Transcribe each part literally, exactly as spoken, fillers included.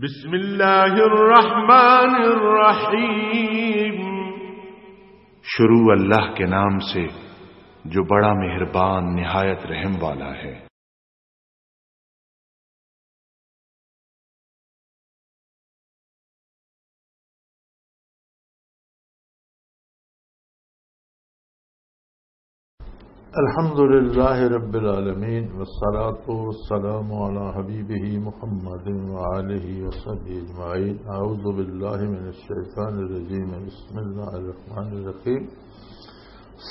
بسم اللہ الرحمن الرحیم۔ شروع اللہ کے نام سے جو بڑا مہربان نہایت رحم والا ہے۔ الحمد لله رب العالمين، والصلاة والسلام على حبيبه محمد وآله وصحبه أجمعين. أعوذ بالله من الشيطان الرجيم. بسم الله الرحمن الرحيم.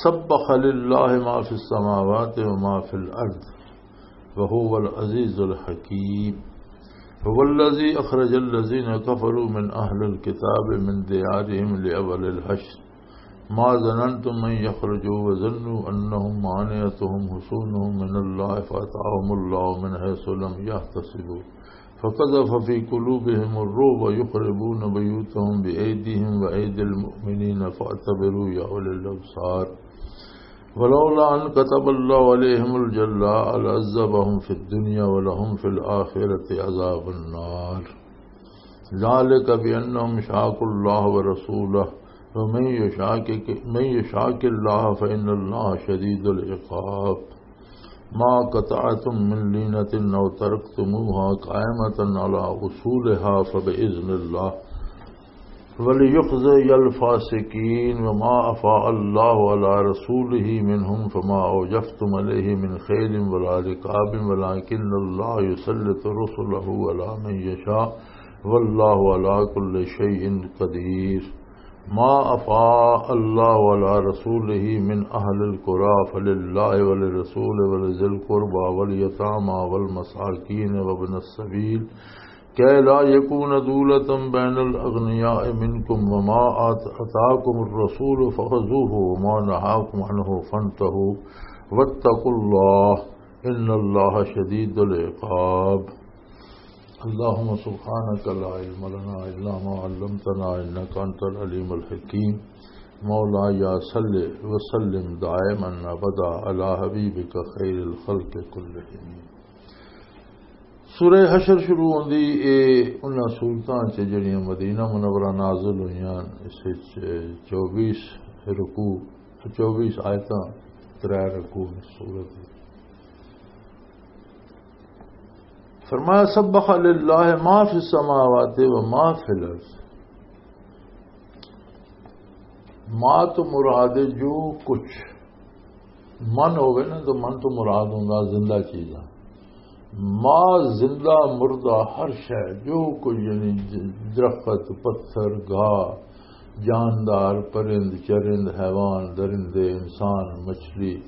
سبح لله ما في السماوات وما في الأرض وهو العزيز الحكيم. هو الذي أخرج الذين كفروا من أهل الكتاب من ديارهم لأول الحشر ما ظننتم أن يخرجوا وظنوا أنهم مانعتهم حصونهم من الله فأتاهم الله من حيث لم يحتسبوا فقذف في قلوبهم الرعب يخربون بيوتهم بأيديهم وأيدي المؤمنين فاعتبروا يا أولي الأبصار. ولولا أن كتب الله عليهم الجلاء لعذبهم في الدنيا ولهم في الآخرة عذاب النار. ذلك بأنهم شاقوا الله ورسوله ومن يشاقق، من يشاقق الله فإن الله شديد العقاب. ما قطعتم من لينة أو تركتموها قائمة على أصولها فبإذن الله وليخزي الفاسقين. وما أفاء الله على رسوله منهم فما أوجفتم عليه من خيل ولا ركاب ولكن الله يسلط رسله على من يشاء والله على كل شيء قدير. ما أفاء الله على رسوله من أهل القرى فلله وللرسول ولذي القربى واليتامى والمساكين وابن السبيل كي لا يكون دولة بين الأغنياء منكم وما آت-، آتاكم الرسول فخذوه وما نهاكم عنه فانتهوا واتقوا الله إن الله شديد العقاب. اللهم سبحانك لا علم لنا إلا ما علمتنا إنك أنت العليم الحكيم. مولاي صل وسلم دائما أبدا على حبيبك خير الخلق كلهم. سورہ حشر شروع ہوندی اے انہاں سورتاں چ جڑیاں مدینہ منورہ نازل ہوئیاں، اس وچ چوبیس رکوع، چوبیس آیتاں، ترے رکوع سورت۔ فرمایا، سبح للہ ما فی السماوات و ما فی الارض۔ ما تو مراد ہے جو کچھ، من ہوگئے نا، تو من تو مراد ہوندا زندہ چیزاں۔ ما، زندہ مردہ ہر شے، جو کچھ یعنی ج-، درخت، پتھر، گھا، جاندار، پرند، چرند، حیوان، درندے، انسان، مچھلی،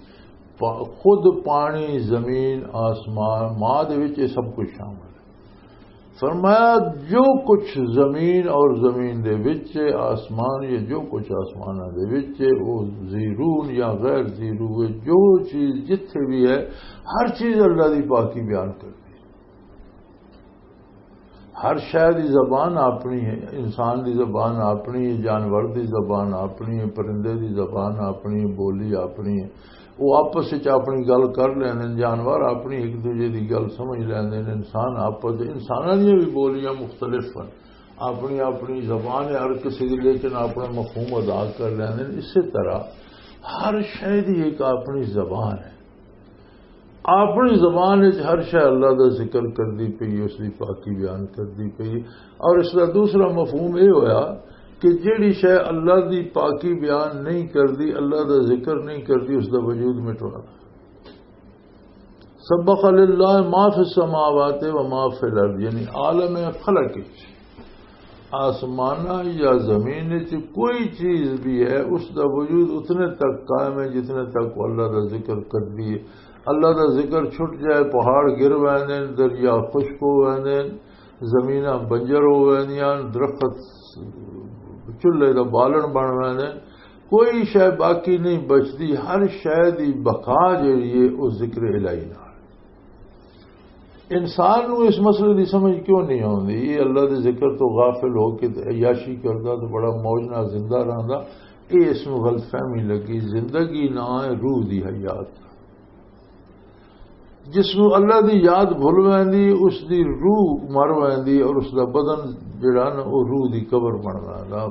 پا-، خود پانی، زمین، آسمان، ما دے وچ یہ سب کچھ شامل ہے۔ فرمایا، جو کچھ زمین اور زمین دے وچ آسمان، یہ جو کچھ آسماناں دے وچ ہے، وہ زیرون یا غیر زیرو ہے، جو چیز جتھے بھی ہے، ہر چیز اللہ دی پاکی بیان کرتی ہے۔ ہر شے دی زبان اپنی ہے، انسان دی زبان اپنی ہے، جانور دی زبان اپنی ہے، پرندے دی زبان اپنی ہے، بولی اپنی ہے۔ وہ آپس وچ اپنی گل کر لیندے نے، جانور اپنی ایک دوجے دی گل سمجھ لیندے نے، انسان آپس، انساناں دیاں بھی بولیاں مختلف ہیں، اپنی اپنی زبان ہے ہر کسی دی، لیکن اپنا مفہوم ادا کر لیندے نے۔ اسی طرح ہر شے دی ایک اپنی زبان ہے۔ اپنی زبان وچ ہر شے اللہ دا ذکر کردی پئی، اس دی پاکی بیان کردی پئی۔ اور اس دا دوسرا مفہوم یہ ہویا کہ جیڑی شے اللہ دی پاکی بیان نہیں کردی، اللہ دا ذکر نہیں کردی، اس دا وجود مٹوا۔ سبح للہ ما فی السماوات و ما فی الارض، یعنی عالم فلک وچ، آسمانہ یا زمین وچ کوئی چیز بھی ہے، اس دا وجود اتنے تک قائم ہے جتنے تک وہ اللہ دا ذکر کردی ہے۔ اللہ دا ذکر چھٹ جائے، پہاڑ گر ویندے نے، دریا خشک ہو ویندے نے، زمیناں بنجر ہو ویندیاں، درخت چولہے دا بالن بن ویندے نے، کوئی شے باقی نہیں بچدی۔ ہر شے دی بقا جیڑی ہے، او ذکر الہی نال۔ انسان نوں اس مسئلے دی سمجھ کیوں نہیں آوندی؟ یہ اللہ دے ذکر تو غافل ہو کے تے عیاشی کردا تے بڑا موج نال زندہ رہندا۔ یہ اس نوں غلط فہمی لگی۔ زندگی نہ ہے روح دی حیات۔ جس نو اللہ دی یاد بھل ویندی، اس دی روح مر ویندی اور اس دا بدن جڑا نا، او روح دی قبر بن ویندا۔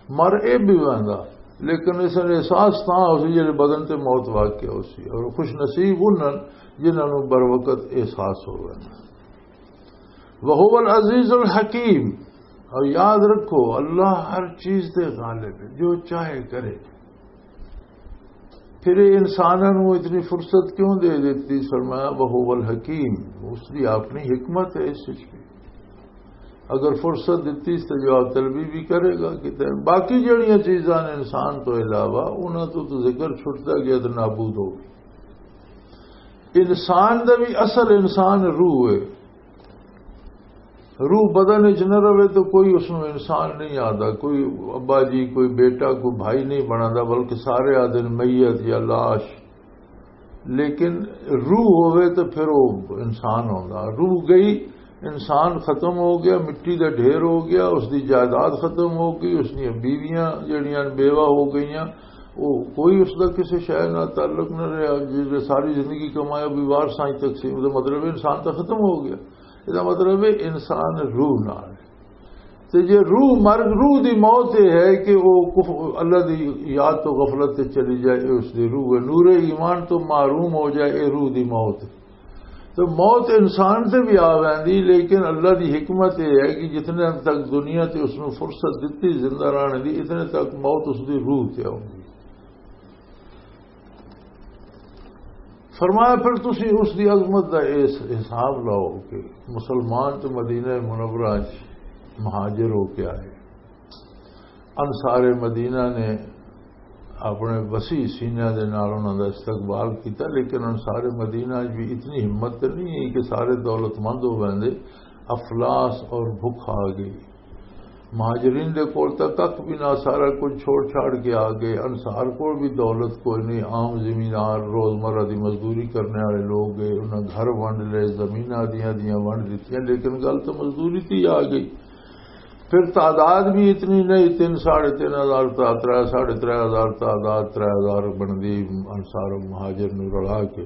مر اے بھی ویندا، لیکن اس نے احساس تاں ہو سی جڑے بدن تے موت واقع ہو سی۔ اور خوش نصیب انہاں جنہاں نو بر وقت احساس ہو ویندا۔ وَهُوَ الْعَزِيزُ الْحَكِيمُ۔ اور یاد رکھو، اللہ ہر چیز تے غالب ہے، جو چاہے کرے۔ پھر یہ انساناں نوں اتنی فرصت کیوں دے دتی؟ فرمایا، "وَهُوَ الْحَكِيمُ"، اس دی اپنی حکمت ہے اس وچ بھی۔ اگر فرصت دتی تو جواب طلبی بھی کرے گا کتے۔ باقی جڑیاں چیزاں نے انسان تو علاوہ، انہاں تو، تو ذکر چھٹدا گیا تو نابود ہو گئی۔ انسان دا بھی اصل انسان روح ہے۔ روح بدن وچ نہ رہے تو کوئی اس نوں انسان نہیں آتا، کوئی ابا جی، کوئی بیٹا، کوئی بھائی نہیں بناتا، بلکہ سارے آدھے میت یا لاش۔ لیکن روح ہوئے تو پھر وہ انسان ہوتا۔ روح گئی، انسان ختم ہو گیا، مٹی دا ڈھیر ہو گیا، اس دی جائیداد ختم ہو گئی، اس دیاں بیویاں جڑیاں بیوہ ہو گئیاں، وہ کوئی اس دا کسی شے نال تعلق نہ رہا۔ جس ساری زندگی کمایا، بھی وارثاں ہی تقسیم، دا مطلب ہے انسان تو ختم ہو گیا۔ یہ مطلب ہے انسان روح نال۔ تے جے روح مر، روح دی موت یہ ہے کہ وہ کف-، اللہ دی یاد تو غفلت تے چلی جائے، یہ اس دی روح ہے۔ نور ایمان تو محروم ہو جائے، یہ روح دی موت ہے۔ تو موت انسان تے بھی آ ویندی، لیکن اللہ دی حکمت یہ ہے کہ جتنے تک دنیا تے اس نوں فرصت دتی زندہ رہنے دی، اتنے تک موت اس دی روح تے آؤندی۔ فرمایا، پھر تسی اس دی عظمت دا اس حساب لاؤ کہ مسلمان تے مدینہ منورہ چ مہاجر ہو کے آئے۔ انصار مدینہ نے اپنے وسیع سینہ دے نال انہاں دا استقبال کیتا، لیکن انصار مدینہ چ بھی اتنی ہمت تے نہیں ہے کہ سارے دولت مند ہو ویندے۔ افلاس اور بھکھ آ گئی۔ مہاجرین دے کول تاں ککھ بھی نہ، سارا کچھ چھوڑ چھاڑ کے آ گئے۔ انصار کول بھی دولت کوئی نہیں، عام زمیندار، روزمرہ دی مزدوری کرنے والے لوگ گئے، انہاں گھر ونڈ لے، زمیناں دیاں دیاں ونڈ دتیاں، لیکن گل تو مزدوری تے ہی آ گئی۔ پھر تعداد بھی اتنی نہیں، تین، ساڑھے تین ہزار، تا-، ترے، ساڑھے ترے ہزار تعداد، ترے ہزار بندی انصار و مہاجر نوں رلا کے۔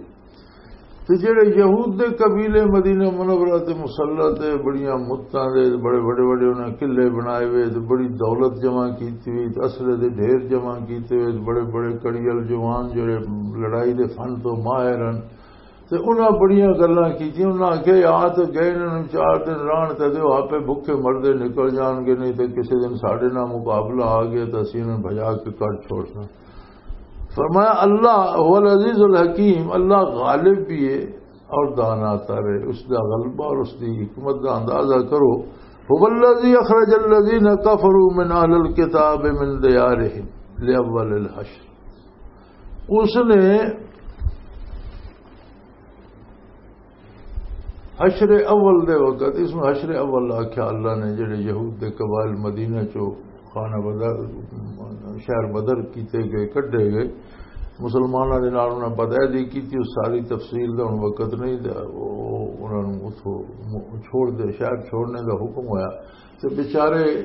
تے جڑے یہود دے قبیلے مدینہ منورہ تے مسلح تے بڑیاں مدتاں دے بڑے بڑے بڑے انہاں قلعے بنائے ہوئے تے بڑی دولت جمع کیتی ہوئی تے اسلحے دے ڈھیر جمع کیتے ہوئے تے بڑے بڑے کڑیل جوان جڑے لڑائی دے فن تو ماہر ہن، تے انہاں بڑیاں گلاں کیتیاں۔ انہاں آکھیا، "آ تے گئے، انہاں نوں چار دن رہن تے دیو، آپے بھکھے مردے نکل جان گے، نہیں تے کسے دن ساڈے نال مقابلہ آ گیا تے اسی انہاں نوں بھجا کے کڈ چھوڑنا۔" فرمایا، "اللہ هو العزیز الحکیم"، اللہ غالب بھی ہے اور دانا تر ہے۔ اس دا غلبہ اور اس دی حکمت دا اندازہ کرو۔ "هو الذی اخرج الذین کفروا من اہل الکتاب من دیارہم لاول الحشر"، اس نے حشر اول دے وقت، اس نوں حشر اول آکھیا اللہ نے، جڑے یہود دے قبائل مدینہ چوں خانہ بدر، شہر بدر کیتے گئے، کڈھے گئے، مسلماناں دے نال انہاں بدعہدی کیتی، اس ساری تفصیل دا ہن وقت نہیں، تے او، او، انہاں نوں اتھوں م-، چھوڑ دے، شہر چھوڑنے دا حکم ہویا۔ تے بیچارے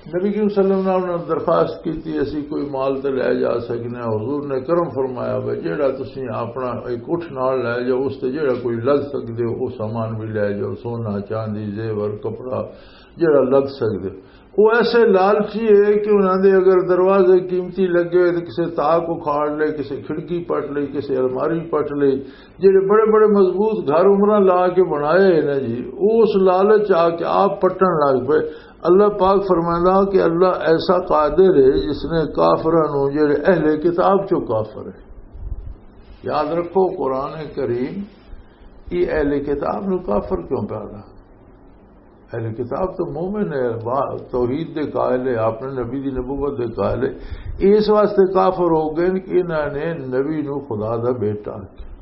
نبی کریم صلی اللہ علیہ وسلم نے انہاں درخواست کیتی، "اسی کوئی مال تے لے جا سکنے ہاں؟" حضور نے کرم فرمایا، "بھائی، جیڑا تسی اپنا ایک اٹھ نال لے جاؤ، اس تے جیڑا کوئی لگ سکدے ہو، وہ سامان بھی لے جاؤ، سونا، چاندی، زیور، کپڑا، جیڑا لگ سکدے ہو۔" وہ ایسے لالچی ہے کہ انہاں دے اگر دروازے قیمتی لگے ہوئے تے کسے تاک اکھاڑ لے، کسے کھڑکی پٹ لئی، کسے الماری پٹ لئی، جڑے بڑے بڑے مضبوط گھر عمرہ لا کے بنائے ہیں نا جی، وہ اس لالچ آ کے آپ پٹن لگ پئے۔ اللہ پاک فرمائندا کہ اللہ ایسا قادر ہے جس نے کافراں نوں، جڑے اہل کتاب چوں کافر ہے۔ یاد رکھو، قرآن کریم یہ اہل کتاب نوں کافر کیوں پیا؟ اہل کتاب تو مومن ہے، با-، توحید دے قائل ہے، اپنے نبی دی نبوت دے قائل ہے۔ اس واسطے کافر ہو گئے کہ انہاں نے نبی نو خدا دا بیٹا آکھیا۔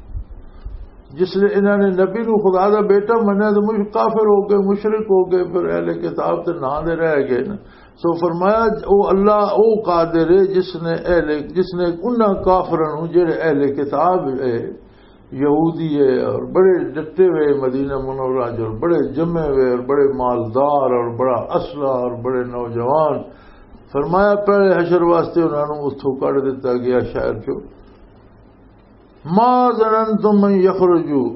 جس نے انہاں نے نبی نو خدا دا بیٹا منیا تو مش-، کافر ہو گئے، مشرک ہو گئے، پھر اہل کتاب تے ناں دے رہ گئے نا۔ سو فرمایا، او اللہ، او قادر ہے جس نے اہل، جس نے انہاں کافراں نو جڑے اہل کتاب ہے، یہودی ہے اور بڑے ڈٹے ہوئے مدینہ منورہ چ اور بڑے جمے ہوئے اور بڑے مالدار اور بڑا اسلحہ اور بڑے نوجوان۔ فرمایا، پہلے حشر واسطے انہاں نوں اتھوں کڈ دتا گیا شہر چوں۔ ما ظننتم ان یخرجوا،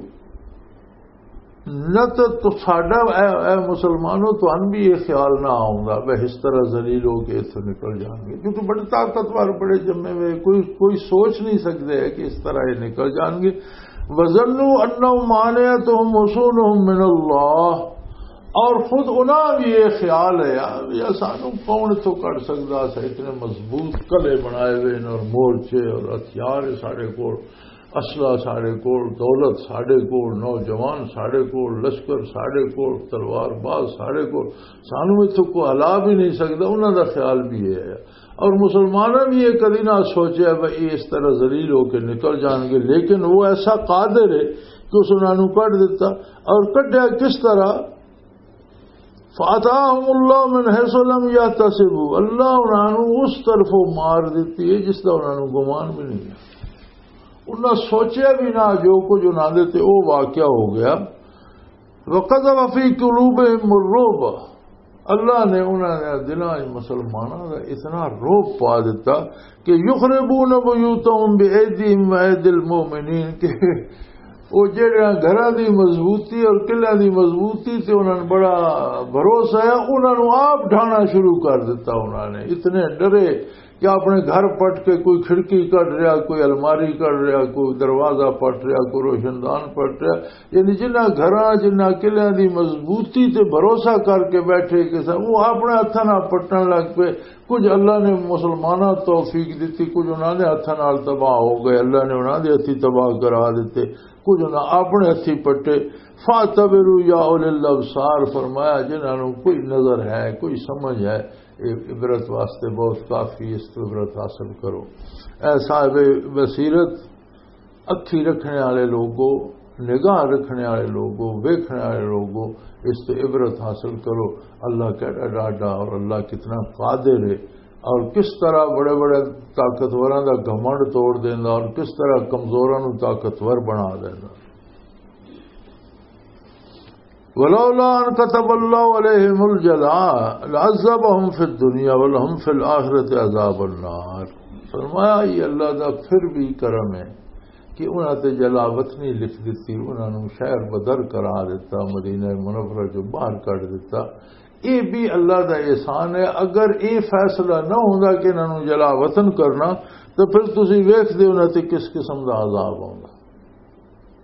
نہ تو، تو ساڈا، اے، اے مسلمانوں، تہن بھی یہ خیال نہ آؤندا، بے اس طرح ذلیل ہو کے اتھوں نکل جان گے، کیونکہ بڑے طاقتور، بڑے جمے ہوئے، کوئی، کوئی سوچ نہیں سکتے ہے کہ اس طرح یہ نکل جان گے۔ وظنوا انہم مانعتہم حصونہم من اللہ، اور خود انہاں بھی یہ خیال ہے، یار، یہ سانو کون اتھوں کڈ سکدا سا؟ اتنے مضبوط قلعے بنائے ہوئے نے اور مورچے اور ہتھیار ساڈے کول، اسلحہ ساڈے کول، دولت ساڈے کول، نوجوان ساڈے کول، لشکر ساڈے کول، تلوار باز ساڈے کول، سانو اتھوں کوئی ہلا بھی نہیں سکدا۔ انہاں دا خیال بھی یہ ہے۔ اور مسلماناں بھی یہ کدی نہ سوچیا بھئی یہ اس طرح ذلیل ہو کے نکل جان گے، لیکن وہ ایسا قادر ہے کہ اس انہاں نوں کڈ دتا۔ اور کڈیا کس طرح؟ فَأَتَاهُمُ اللَّهُ مِنْ حَيْثُ لَمْ يَحْتَسِبُوا، اللہ انہاں نوں اس طرفوں مار دتی ہے جس دا انہاں نوں گمان بھی نہیں ہے۔ انہاں سوچیا بھی نہ جو کچھ انہاں دے تے او واقعہ ہو گیا۔ وَقَذَفَ فِي قُلُوبِهِمُ الرُّعْبَ، اللہ نے انہاں دے دلاں وچ مسلماناں دا اتنا رعب پا دتا کہ یخربون بیوتہم بایدیہم و ایدی المؤمنین، کہ وہ جڑے گھراں دی مضبوطی اور قلعہ دی مضبوطی تے انہاں نوں بڑا بھروسہ ہے، انہاں نوں آپ ڈھانا شروع کر دتا۔ انہاں نے اتنے ڈرے کہ اپنے گھر پٹ کے کوئی کھڑکی کڈ رہا، کوئی الماری کڈ رہا، کوئی دروازہ پٹ رہا، کوئی روشندان پٹ رہا۔ یعنی جنہاں گھراں، جنہاں قلعیاں دی مضبوطی تے بھروسہ کر کے بیٹھے کہ سا، وہ اپنے ہتھاں نال پٹن لگ پئے۔ کچھ اللہ نے مسلماناں توفیق دتی، کچھ انہاں دے ہتھاں نال تباہ ہو گئے، اللہ نے انہاں دے ہتھی تباہ کرا دتے، کچھ انہاں اپنے ہتھی پٹے۔ فاعتبروا یا اولی الابصار، فرمایا جنہاں نوں کوئی نظر ہے، کوئی سمجھ ہے، یہ عبرت واسطے بہت کافی، اس تو عبرت حاصل کرو۔ اے صاحب بصیرت، اکھی رکھنے والے لوگو، نگاہ رکھنے والے لوگو، ویکھنے والے لوگو، اس تے عبرت حاصل کرو۔ اللہ کیڑا ڈاڈا اور اللہ کتنا قادر ہے، اور کس طرح بڑے بڑے طاقتوراں دا گھمنڈ توڑ دیندا اور کس طرح کمزوراں نوں طاقتور بنا دیندا۔ ولولا ان كتب الله عليهم الجلاء لعذبهم في الدنيا ولهم في الآخرة عذاب النار۔ فرمایا، یہ اللہ دا پھر بھی کرم ہے کہ انہاں تے جلا وطنی لکھ دتی، انہاں نوں شہر بدر قرار دتا، مدینہ منورہ چوں باہر کڈ دتا۔ یہ بھی اللہ دا احسان ہے۔ اگر یہ فیصلہ نہ ہوندا کہ انہاں نوں جلا وطن کرنا، تو پھر تسی ویکھدے انہاں تے کس قسم دا عذاب ہوندا۔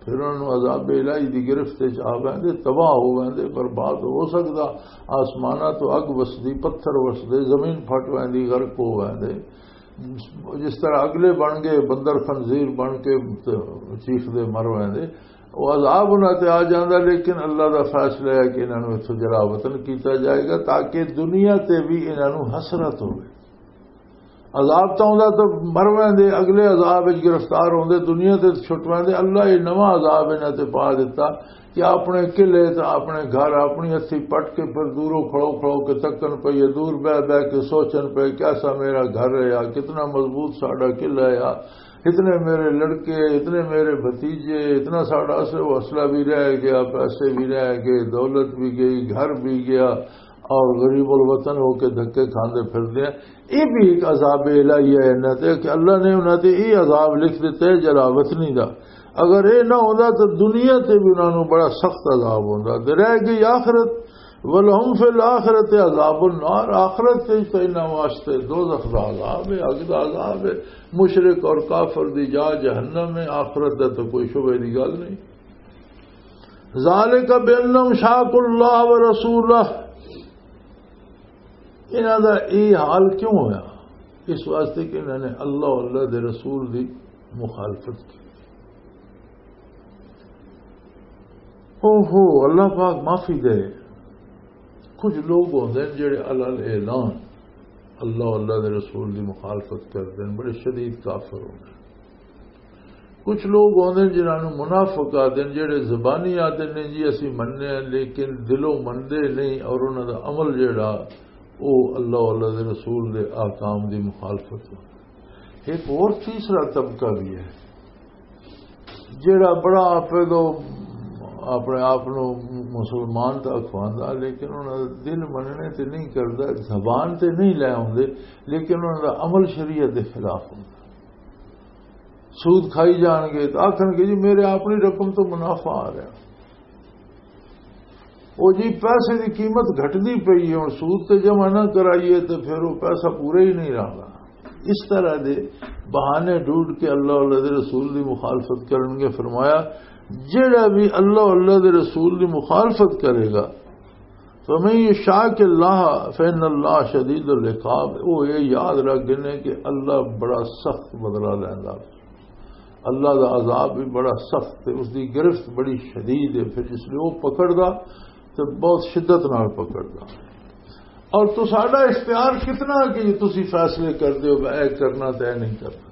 پھر انہاں نوں عذاب الہی دی گرفت وچ آ ویندے، تباہ ہو ویندے، برباد ہو سکدا۔ آسماناں تو اگ وسدی، پتھر وسدے، زمین پھٹ ویندی، غرق ہو ویندے۔ جس طرح اگلے بن گئے، بندر خنزیر بن کے چیخ دے مر ویندے۔ وہ عذاب انہاں تے آ جاندا، لیکن اللہ دا فیصلہ ہے کہ انہاں نوں اتھوں جلا وطن کیتا جائے گا، تاکہ دنیا تے بھی انہاں نوں حسرت ہوئے۔ عذاب تاں ہوندا تے مر ویندے، اگلے عذاب وچ گرفتار ہوندے، دنیا تے چھٹ ویندے۔ اللہ یہ نواں عذاب انہاں تے پا دتا کہ اپنے قلعے تے اپنے گھر اپنی ہتھی پٹ کے پھر دوروں کھڑو کھڑو کے تکن پئے، دور بہ بہ کے سوچن پئے، کیسا میرا گھر ہے یا کتنا مضبوط ساڈا قلعہ ہے یا اتنے میرے لڑکے، اتنے میرے بھتیجے، اتنا ساڈا اصل حوصلہ بھی رہ گیا، پیسے بھی رہ گئے، دولت بھی گئی، گھر بھی گیا، اور غریب الوطن ہو کے دھکے کھاندے پھردے ہیں۔ یہ بھی ایک عذاب الہی ہے انہاں تے کہ اللہ نے انہاں تے یہ عذاب لکھ دیتا ہے جلا وطنی دا۔ اگر یہ نہ ہوندا تو دنیا تے بھی انہاں نوں بڑا سخت عذاب ہوندا۔ تے رہ گئی آخرت، ولہم فی الآخرۃ عذاب النار، آخرت تے تو انہاں واسطے دوزخ دا عذاب ہے، اگ دا عذاب ہے۔ مشرک اور کافر دی جا جہنم ہے، آخرت دا تو کوئی شبے دی گل نہیں۔ ذالک بانہم شاقوا اللہ ورسولہ، انہاں دا یہ حال کیوں ہویا؟ اس واسطے کہ انہاں نے اللہ، اللہ دے رسول دی مخالفت کی۔ اوہو، اللہ پاک معافی دے۔ کچھ لوگ ہوندے نے جڑے علل اعلان اللہ، اللہ دے رسول دی مخالفت کردے نے، بڑے شدید کافر ہوندے نے۔ کچھ لوگ ہوندے نے جنہاں نوں منافق آدھے نے، جڑے زبانی آدھے نے جی اسی مننے ہیں، لیکن دلوں مندے نہیں، اور انہاں دا عمل جڑا او اللہ، اللہ دے رسول دے احکام دی مخالفت ہوندا۔ ایک اور تیسرا طبقہ بھی ہے جڑا بڑا آپ دو اپنے آپ نوں مسلمان دا اخواندا، لیکن انہاں دا دل مننے تے نہیں کردا، زبان تے نہیں لے آوندے، لیکن انہاں دا عمل شریعت دے خلاف ہوندا۔ سود کھائی جان گے، تو آخر گے، "جی، میرے اپنی رقم تو منافع آ رہا۔" وہ جی، پیسے دی قیمت گھٹدی پئی ہے، ہن سود تے جمع نہ کرائیے تے پھر وہ پیسہ پورا ہی نہیں رہندا۔ اس طرح دے بہانے ڈھونڈ کے اللہ، اللہ دے رسول دی مخالفت کرن گے۔ فرمایا، جڑا بھی اللہ، اللہ دے رسول دی مخالفت کرے گا، فَمَن يُشَاقِقِ اللَّهَ فَإِنَّ اللَّهَ شَدِيدُ الْعِقَابِ، وہ یہ یاد رکھ گئے کہ اللہ بڑا سخت بدلہ لیندا۔ اللہ دا عذاب بھی بڑا سخت ہے، اس دی گرفت بڑی شدید ہے۔ پھر جس لئے وہ پکڑدا تے بہت شدت نال پکڑدا۔ اور تساڈا اختیار کتنا کہ تسی فیصلے کردے ہو، اے کرنا تے اے نہیں کرنا۔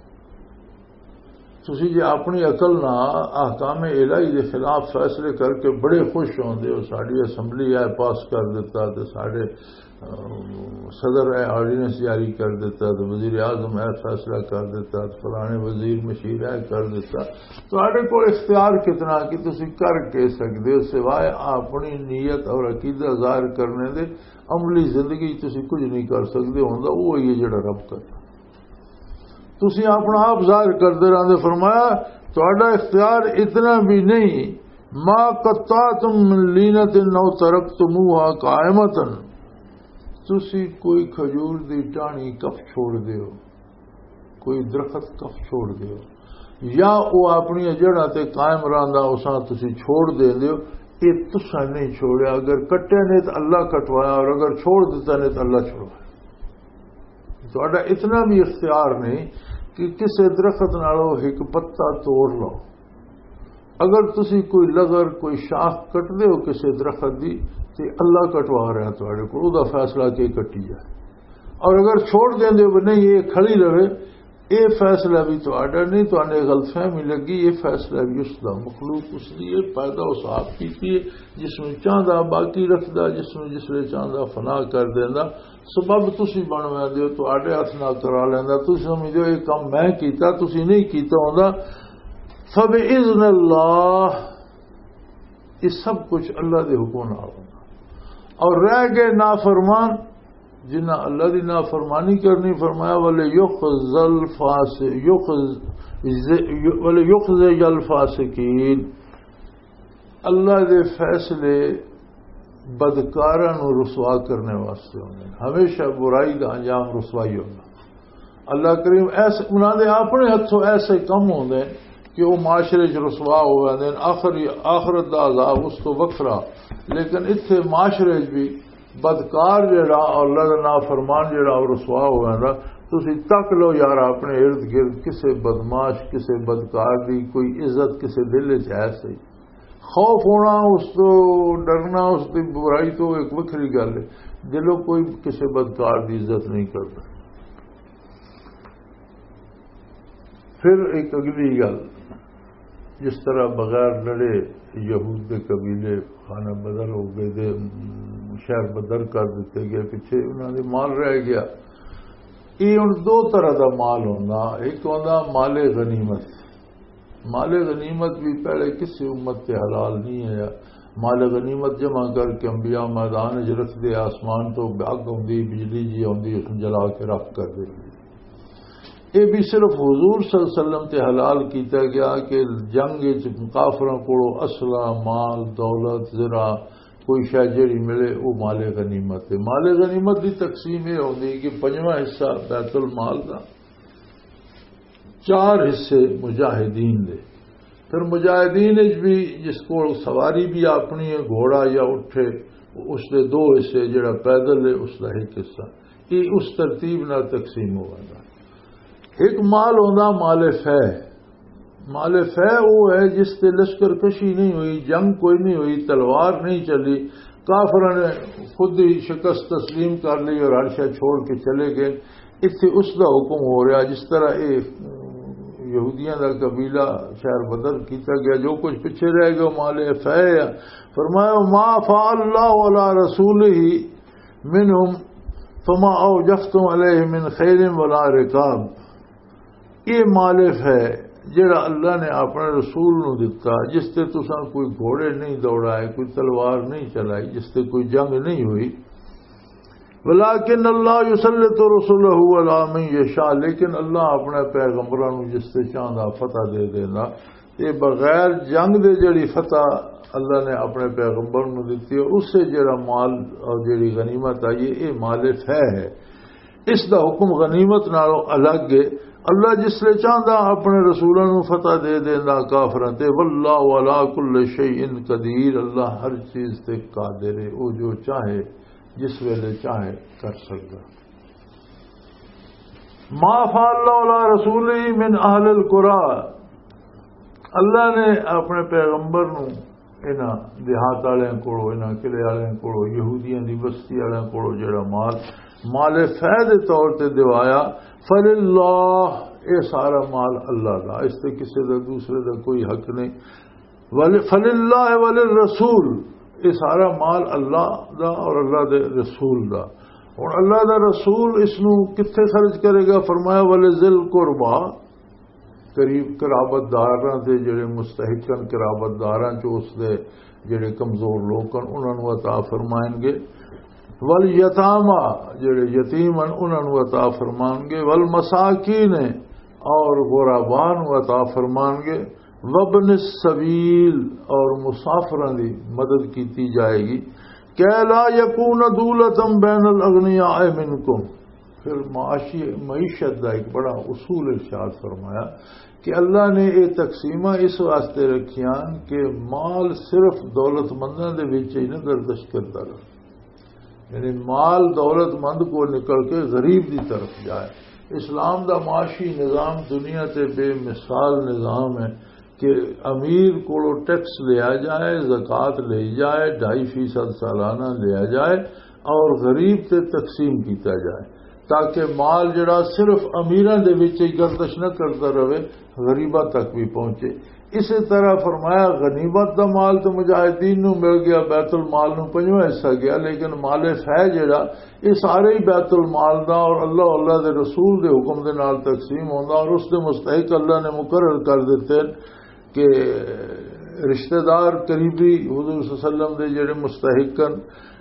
تسی جے اپنی عقل نال احکام الہی دے خلاف فیصلے کر کے بڑے خوش ہوندے ہو، "ساڈی اسمبلی اے پاس کر دتا تے ساڈے، ام، صدر اے آرڈیننس جاری کر دتا تے وزیر اعظم اے فیصلہ کر دتا تے فلانے وزیر مشیر اے کر دتا۔" تہاڈے کول اختیار کتنا کہ تسی کر کے سکدے ہو، سوائے اپنی نیت اور عقیدہ ظاہر کرنے دے عملی زندگی تسی کچھ نہیں کر سکدے۔ ہوندا وہ ہی ہے جڑا رب کردا۔ تسی اپنا آپ ظاہر کردے رہندے۔ فرمایا، تہاڈا اختیار اتنا بھی نہیں، "ما قطعتم من لینۃ او ترکتموہا قائمۃ۔" تسی کوئی کھجور دی ٹاہنی کف چھوڑ دیو، کوئی درخت کف چھوڑ دیو، یا وہ اپنی جڑاں تے قائم رہندا، اساں تسی چھوڑ دے دیو، یہ تساں نہیں چھوڑیا۔ اگر کٹے نے تو اللہ کٹوایا، اور اگر چھوڑ دیتا نے تو اللہ چھوڑوایا۔ تہاڈا اتنا بھی اختیار نہیں کہ کسے درخت نالوں ایک پتا توڑ لو۔ اگر تسی کوئی لغر، کوئی شاخ کٹ دے ہو کسے درخت دی، تے اللہ کٹوا رہا تہاڈے کول، او دا فیصلہ کہ کٹی جائے۔ اور اگر چھوڑ دیندے ہو کہ نہیں، یہ کھڑی رہے، یہ فیصلہ بھی تہاڈا نہیں، تہاڈے غلط فہمی لگی، یہ فیصلہ بھی اس دا، مخلوق اس دی ہے، پیدا اس آپ کیتی ہے، جس میں چاہندا باقی رکھدا، جس میں جس لے چاہندا فنا کر دیندا۔ سبب تسی بن ویندے ہو، تہاڈے ہتھ نال کرا لیندا، تسی سمجھدے ہو یہ کم میں کیتا، تسی نہیں کیتا ہوندا۔ فباذن اللہ، یہ سب کچھ اللہ دے حکم نال ہوندا۔ اور رہ گئے نافرمان، جنہاں اللہ دی نافرمانی کرنی، فرمایا، "وَلَيُخْزِ الْفَاسِ-، يُخْزِ-، وَلَيُخْزِيَ الْفَاسِقِينَ۔" اللہ دے فیصلے بدکاراں نوں رسوا کرنے واسطے ہوندے نے۔ ہمیشہ برائی دا انجام رسوائی ہوندا۔ اللہ کریم ایسے، انہاں دے اپنے ہتھوں ایسے کم ہوندے نے کہ وہ معاشرے 'چ رسوا ہو جاندے نے۔ آخر، آخرت دا عذاب اس تو وکھرا۔ لیکن اتھے معاشرے 'چ بھی بدکار جڑا، اللہ دا نافرمان جڑا، وہ رسوا ہو جاندا۔ تسی تک لو یار، اپنے ارد گرد کسے بدمعاش، کسے بدکار دی کوئی عزت کسے دل 'چ ہے صحیح؟ خوف ہونا، اس تو ڈرنا، اس دی برائی تو ایک وکھری گل ہے۔ دلوں کوئی کسے بدکار دی عزت نہیں کردا۔ پھر ایک اگلی گل، جس طرح بغیر لڑے یہود دے قبیلے خانہ بدر ہو گئے، دے شہر بدر کر دیتے گئے، پیچھے انہاں دے مال رہ گیا۔ یہ ہن دو طرح دا مال ہوندا، ایک ہوندا مال غنیمت۔ مال غنیمت بھی پہلے کسی امت تے حلال نہیں ہے۔ مال غنیمت جمع کر کے انبیاء میدان وچ رکھ دے، آسمان تو اگ ہوندی، بجلی جی ہوندی، اس نوں جلا کے رکھ کر دے۔ یہ بھی صرف حضور صلی اللہ علیہ وسلم تے حلال کیتا گیا کہ جنگ وچ کافراں کولوں اسلحہ، مال، دولت، زرع، کوئی شے جڑی ملے، وہ مال غنیمت ہے۔ مال غنیمت دی تقسیم یہ ہوندی کہ پنجواں حصہ بیت المال دا، چار حصے مجاہدین دے۔ پھر مجاہدین وچ بھی جس کول سواری بھی اپنی ہے، گھوڑا یا اٹھے، اس دے دو حصے، جڑا پیدل ہے اس دا ایک حصہ۔ یہ اس ترتیب نال تقسیم ہو جاندا۔ ایک مال ہوندا مال فہ۔ مال فہ وہ ہے جس تے لشکر کشی نہیں ہوئی، جنگ کوئی نہیں ہوئی، تلوار نہیں چلی، کافراں نے خود ہی شکست تسلیم کر لی اور ہر شے چھوڑ کے چلے گئے۔ اتھے اس دا حکم ہو رہا، جس طرح یہ یہودیاں دا قبیلہ شہر بدر کیتا گیا، جو کچھ پیچھے رہ گیا، مال فہ ہے۔ فرمایا، "ما فاء اللہ علی رسولہ منہم فما اوجفتم علیہ من خیل ولا رکاب۔" یہ مال فہ ہے جڑا اللہ نے اپنے رسول نو دتا، جس تے تساں کوئی گھوڑے نہیں دوڑائے، کوئی تلوار نہیں چلائی، جس تے کوئی جنگ نہیں ہوئی۔ ولكن الله يسلط رسله على من يشاء، لیکن اللہ اپنے پیغمبراں نوں جس تے چاہندا فتح دے دیندا۔ یہ بغیر جنگ دے جڑی فتح اللہ نے اپنے پیغمبر نوں دتی ہے، اس سے جڑا مال اور جڑی غنیمت آئی ہے، یہ مال فہ ہے۔ اس دا حکم غنیمت نالوں الگ ہے۔ اللہ جس لے چاہندا اپنے رسولاں نوں فتح دے دیندا کافراں تے۔ واللہ علی کل شیء قدیر، اللہ ہر چیز تے قادر ہے، وہ جو چاہے، جس ویلے چاہے، کر سکدا۔ ما فعل اللہ علی رسولہ من اہل القرآن، اللہ نے اپنے پیغمبر نو انہاں دیہات والوں کولوں، انہاں قلعے والوں کولوں، یہودیاں دی بستی والوں کولوں جڑا مال، مال فہ دے طور تے دوایا، فللہ، اے سارا مال اللہ دا، اس تے کسے دا، دوسرے دا کوئی حق نہیں۔ ول-، فللہ وللرسول، اے سارا مال اللہ دا اور اللہ دے رسول دا۔ ہن اللہ دا رسول اس نو کتھے خرچ کرے گا؟ فرمایا، ولذی القربی، قریب قرابت داراں دے جڑے مستحقاً قرابت داراں چ اس دے جڑے کمزور لوگ ہن، انہاں نوں عطا فرمائیں گے۔ والیتاما، جڑے یتیم ہن، انہاں نوں عطا فرمان گے۔ والمساکین، اور غرباء نوں عطا فرمان گے۔ وابن السبیل، اور مسافراں دی مدد کیتی جائے گی۔ کہ لا یکون دولتم بین الاغنیاء منکم۔ پھر معاشی، معیشت دا ایک بڑا اصول ارشاد فرمایا کہ اللہ نے یہ تقسیماں اس واسطے رکھیاں کہ مال صرف دولت منداں دے وچ ہی نہ گردش کردا رہے، یعنی مال دولت مند کو نکل کے غریب دی طرف جائے۔ اسلام دا معاشی نظام دنیا تے بے مثال نظام ہے کہ امیر کولو ٹیکس لیا جائے، زکوٰۃ لئی جائے، ڈھائی فیصد سالانہ لیا جائے اور غریب تے تقسیم کیتا جائے، تاکہ مال جڑا صرف امیراں دے وچ ہی گردش نہ کردا رہے، غریباں تک بھی پہنچے۔ اسی طرح فرمایا، غنیمت دا مال تو مجاہدین نو مل گیا، بیت المال نو پنجواں حصہ گیا، لیکن مال فہ جڑا، یہ سارے ہی بیت المال دا اور اللہ، اللہ دے رسول دے حکم دے نال تقسیم ہوندا اور اس دے مستحق اللہ نے مقرر کر دیتے ہیں کہ رشتہ دار قریبی حضور صلی اللہ علیہ وسلم دے جڑے مستحق ہیں،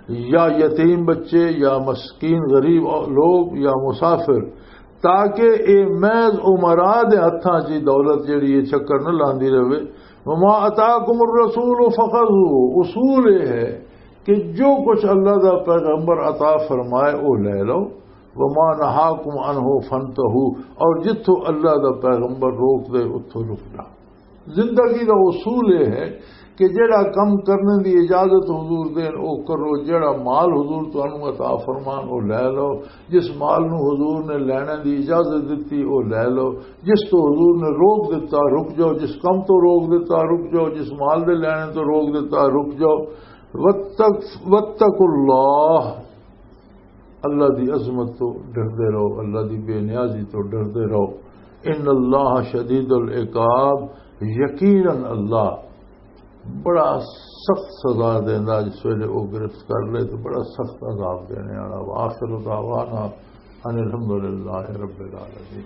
یا یتیم بچے، یا مسکین غریب لوگ، یا مسافر، تاکہ اے محض امراء دے ہتھاں چ دولت جڑی ہے چکر نہ لاندی رہے۔ وما آتاکم الرسول فخذوه، اصول یہ ہے کہ جو کچھ اللہ دا پیغمبر عطا فرمائے، وہ لے لو۔ وما نہاکم عنہ فانتہوا، اور جتھوں اللہ دا پیغمبر روک دے، اتھوں رک جاؤ۔ زندگی دا اصول یہ ہے کہ جڑا کم کرنے دی اجازت حضور دین، او کرو، جڑا مال حضور تانوں عطا فرمان، او لے لو۔ جس مال نو حضور نے لینے دی اجازت دتی، او لے لو۔ جس تو حضور نے روک دتا، رک جاؤ۔ جس کم تو روک دتا، رک جاؤ۔ جس مال دے لینے تو روک دتا، رک جاؤ۔ واتق-، واتقوا اللہ، اللہ دی عظمت تو ڈردے رہو، اللہ دی بے نیازی تو ڈردے رہو۔ ان اللہ شدید العقاب، یقیناً اللہ بڑا سخت سزا دیندا، جس ویلے وہ گرفت کر لے تو بڑا سخت عذاب دینے والا۔ وآخر دعوانا ان الحمدللہ رب العالمین۔